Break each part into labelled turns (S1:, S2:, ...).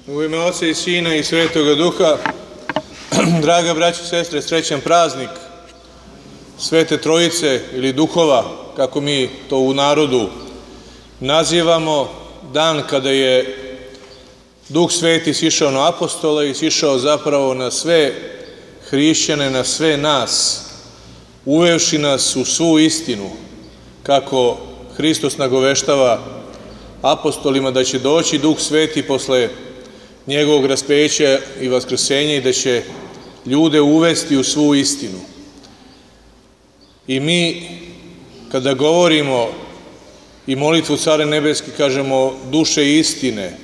S1: U ime Oca i Sina i Svetoga Duha, draga braćo i sestre, srećan praznik Svete Trojice ili Duhova, kako mi to u narodu nazivamo, dan kada je Duh Sveti sišao na apostole i sišao zapravo na sve hrišćane, na sve nas, uvevši nas u svu istinu, kako Hristos nagoveštava apostolima da će doći Duh Sveti posle njegovog raspeća i vaskrsenja i da će ljude uvesti u svu istinu. I mi, kada govorimo i molitvu Care Nebeski, kažemo duše istine,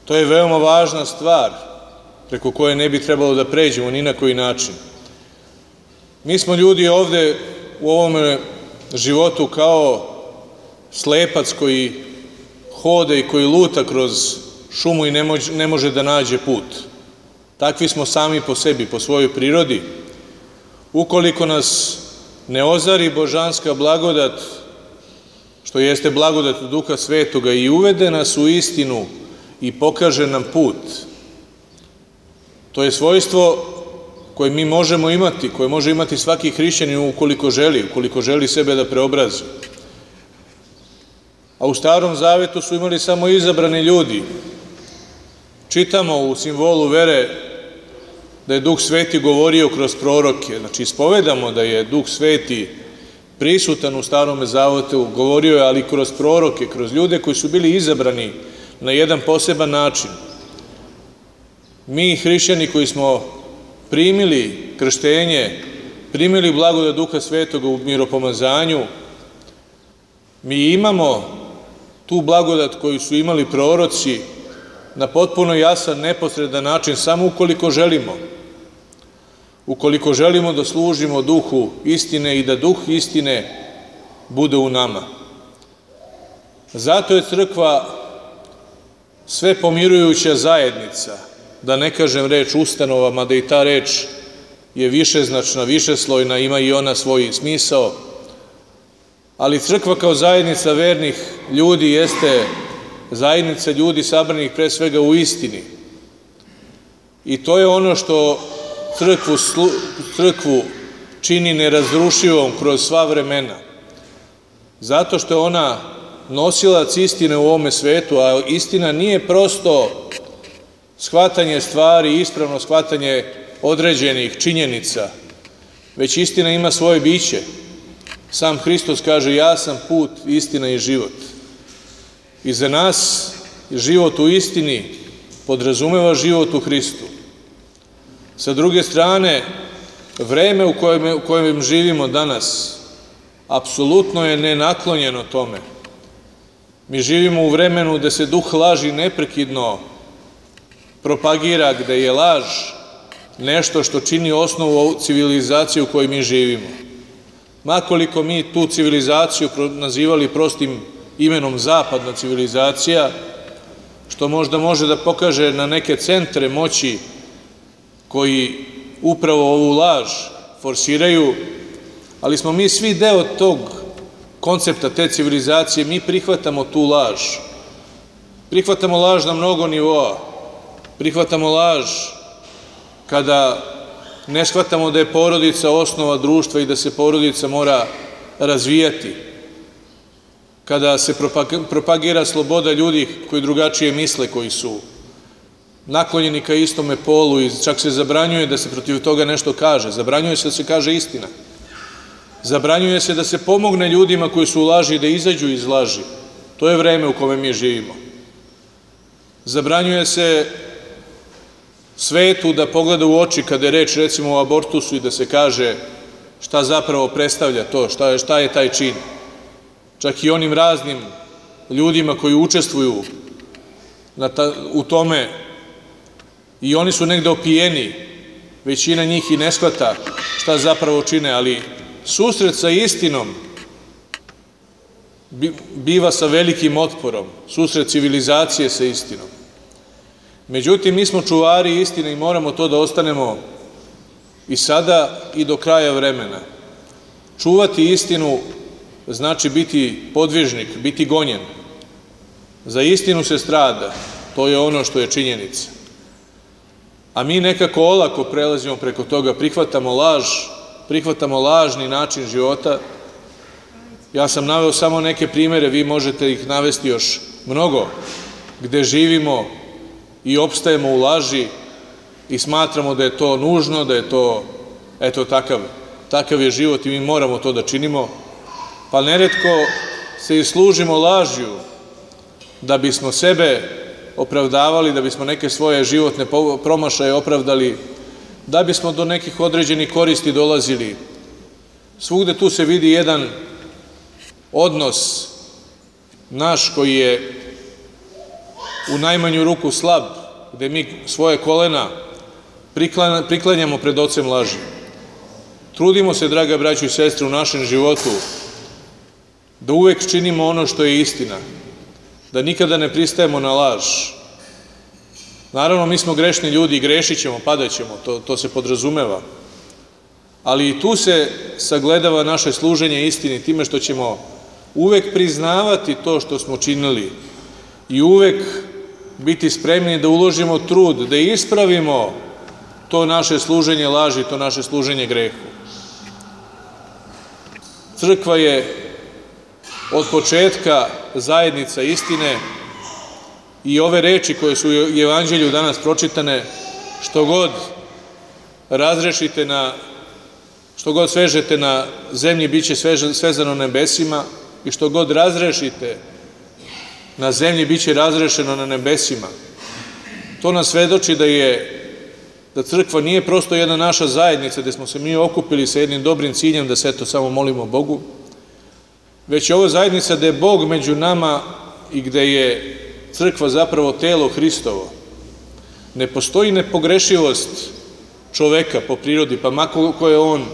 S1: to je veoma važna stvar preko koje ne bi trebalo da pređemo ni na koji način. Mi smo ljudi ovde u ovom životu kao slepac koji hoda i koji luta kroz šumu i ne može da nađe put. Takvi smo sami po sebi, po svojoj prirodi. Ukoliko nas ne ozari božanska blagodat, što jeste blagodat Duha Svetoga, i uvede nas u istinu i pokaže nam put, to je svojstvo koje mi možemo imati, koje može imati svaki hrišćanin ukoliko želi sebe da preobrazi. A u Starom Zavetu su imali samo izabrani ljudi. Čitamo u simbolu vere da je Duh Sveti govorio kroz proroke. Znači, ispovedamo da je Duh Sveti prisutan u Starom Zavetu, govorio je, ali kroz proroke, kroz ljude koji su bili izabrani na jedan poseban način. Mi, hrišćani koji smo primili krštenje, primili blagodat Duha Svetoga u miropomazanju, mi imamo tu blagodat koju su imali proroci na potpuno jasan, neposredan način, samo ukoliko želimo da služimo Duhu istine i da Duh istine bude u nama. Zato je crkva sve pomirujuća zajednica, da ne kažem reč ustanova, mada i ta reč je višeznačna, višeslojna, ima i ona svoj smisao, ali crkva kao zajednica vernih ljudi jeste zajednica ljudi sabranih pre svega u istini. I to je ono što crkvu čini nerazrušivom kroz sva vremena. Zato što je ona nosilac istine u ovome svetu, a istina nije prosto shvatanje stvari, ispravno shvatanje određenih činjenica, već istina ima svoje biće. Sam Hristos kaže: ja sam put, istina i život. I za nas život u istini podrazumeva život u Hristu. Sa druge strane, vreme u kojem živimo danas apsolutno je nenaklonjeno tome. Mi živimo u vremenu gde se duh laži neprekidno propagira, gde je laž nešto što čini osnovu civilizacije u kojoj mi živimo. Makoliko mi tu civilizaciju nazivali prostim imenom zapadna civilizacija, što možda može da pokaže na neke centre moći koji upravo ovu laž forsiraju, ali smo mi svi deo tog koncepta, te civilizacije. Mi prihvatamo tu laž. Prihvatamo laž na mnogo nivoa. Prihvatamo laž kada ne shvatamo da je porodica osnova društva i da se porodica mora razvijati. Kada se propagira sloboda ljudi koji drugačije misle, koji su naklonjeni ka istome polu, i čak se zabranjuje da se protiv toga nešto kaže. Zabranjuje se da se kaže istina. Zabranjuje se da se pomogne ljudima koji su u laži da izađu iz laži. To je vreme u kome mi živimo. Zabranjuje se svetu da pogleda u oči kada je reč recimo o abortusu i da se kaže šta zapravo predstavlja to, šta je taj čin. Čak i onim raznim ljudima koji učestvuju u tome, i oni su negde opijeni, većina njih i ne shvata šta zapravo čine, ali susret sa istinom biva sa velikim otporom, susret civilizacije sa istinom. Međutim, mi smo čuvari istine i moramo to da ostanemo i sada i do kraja vremena. Čuvati istinu znači biti podvižnik, biti gonjen. Za istinu se strada. To je ono što je činjenica. A mi nekako olako prelazimo preko toga, prihvatamo laž, prihvatamo lažni način života. Ja sam naveo samo neke primere, vi možete ih navesti još mnogo, gde živimo i opstajemo u laži i smatramo da je to nužno, da je to, eto, takav je život i mi moramo to da činimo. Pa neretko se i služimo lažju da bismo sebe opravdavali, da bismo neke svoje životne promašaje opravdali, da bismo do nekih određenih koristi dolazili. Svugde tu se vidi jedan odnos naš koji je u najmanju ruku slab, gde mi svoje kolena priklanjamo pred ocem laži. Trudimo se, draga braćo i sestre, u našem životu da uvek činimo ono što je istina, da nikada ne pristajemo na laž. Naravno, mi smo grešni ljudi i grešit ćemo, padat ćemo, to se podrazumeva. Ali i tu se sagledava naše služenje istini time što ćemo uvek priznavati to što smo činili i uvek biti spremni da uložimo trud, da ispravimo to naše služenje laži, to naše služenje grehu. Crkva je od početka zajednica istine i ove reči koje su u Evanđelju danas pročitane, što god razrešite što god svežete na zemlji, bit će svezano na nebesima, i što god razrešite na zemlji, bit će razrešeno na nebesima. To nas svedoči da crkva nije prosto jedna naša zajednica gde smo se mi okupili sa jednim dobrim ciljem da se eto samo molimo Bogu, već je ovo zajednica gde je Bog među nama i gde je crkva zapravo telo Hristovo. Ne postoji nepogrešivost čoveka po prirodi, pa makar ko je on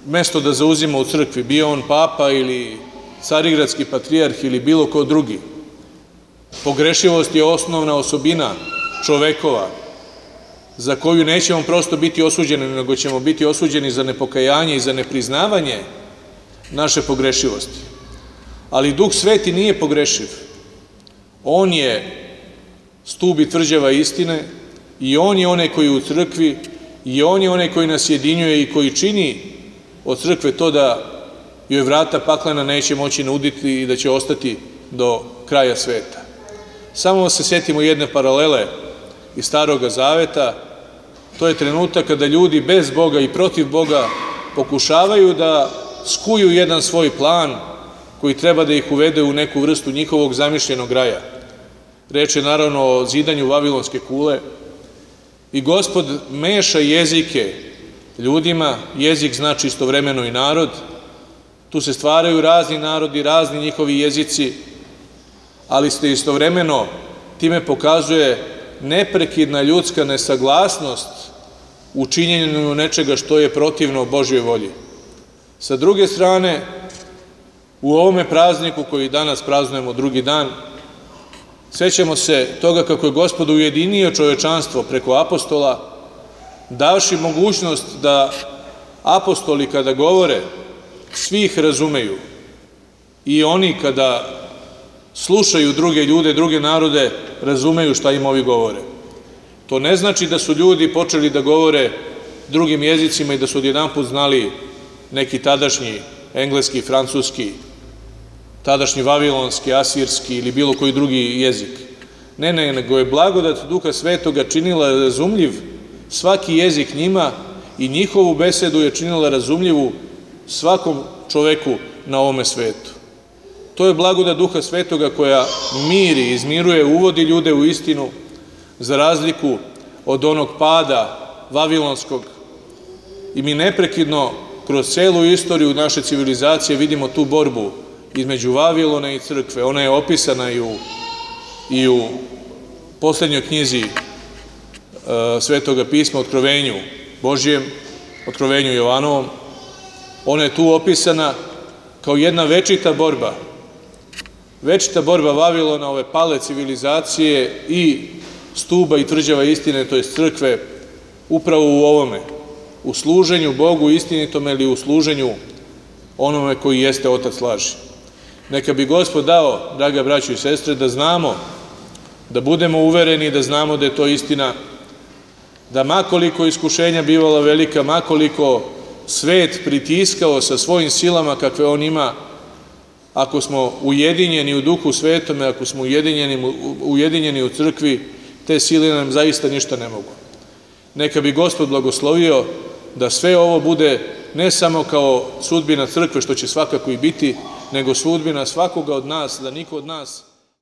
S1: mesto da zauzima u crkvi, bio on papa ili carigradski patrijarh ili bilo ko drugi. Pogrešivost je osnovna osobina čovekova, za koju nećemo prosto biti osuđeni, nego ćemo biti osuđeni za nepokajanje i za nepriznavanje naše pogrešivosti. Ali Duh Sveti nije pogrešiv. On je stub i tvrđava istine i on je onaj koji je u crkvi i on je onaj koji nas jedinjuje i koji čini od crkve to da joj vrata paklena neće moći nuditi i da će ostati do kraja sveta. Samo se setimo jedne paralele iz Staroga Zaveta. To je trenutak kada ljudi bez Boga i protiv Boga pokušavaju da skuju jedan svoj plan koji treba da ih uvede u neku vrstu njihovog zamišljenog raja. Reč je naravno o zidanju Vavilonske kule i Gospod meša jezike ljudima. Jezik znači istovremeno i narod. Tu se stvaraju razni narodi, razni njihovi jezici, ali se istovremeno time pokazuje neprekidna ljudska nesaglasnost u činjenju nečega što je protivno Božjoj volji. Sa druge strane, u ovome prazniku koji danas praznujemo drugi dan, sećamo se toga kako je Gospod ujedinio čovečanstvo preko apostola, davši mogućnost da apostoli kada govore, svi ih razumeju i oni kada slušaju druge ljude, druge narode, razumeju šta im ovi govore. To ne znači da su ljudi počeli da govore drugim jezicima i da su odjedanput znali neki tadašnji engleski, francuski, tadašnji vavilonski, asirski ili bilo koji drugi jezik. Ne, nego je blagodat Duha Svetoga činila razumljiv svaki jezik njima i njihovu besedu je činila razumljivu svakom čoveku na ovome svetu. To je blagodat Duha Svetoga koja miri, izmiruje, uvodi ljude u istinu, za razliku od onog pada vavilonskog. I mi neprekidno kroz celu istoriju naše civilizacije vidimo tu borbu između Vavilona i crkve. Ona je opisana i u poslednjoj knjizi Svetoga pisma, Otkrovenju Božjem, Otkrovenju Jovanovom. Ona je tu opisana kao jedna večita borba. Večita borba Vavilona, ove pale civilizacije i stuba i tvrđava istine, to je crkve, upravo u ovome, u služenju Bogu istinitome ili u služenju onome koji jeste otac laži. Neka bi Gospod dao, draga braćo i sestre, da znamo da budemo uvereni, da znamo da je to istina, da makoliko iskušenja bivala velika, makoliko svet pritiskao sa svojim silama kakve on ima, ako smo ujedinjeni u Duhu Svetome, ako smo ujedinjeni u crkvi, te sile nam zaista ništa ne mogu. Neka bi Gospod blagoslovio da sve ovo bude ne samo kao sudbina crkve, što će svakako i biti, nego sudbina svakoga od nas, da niko od nas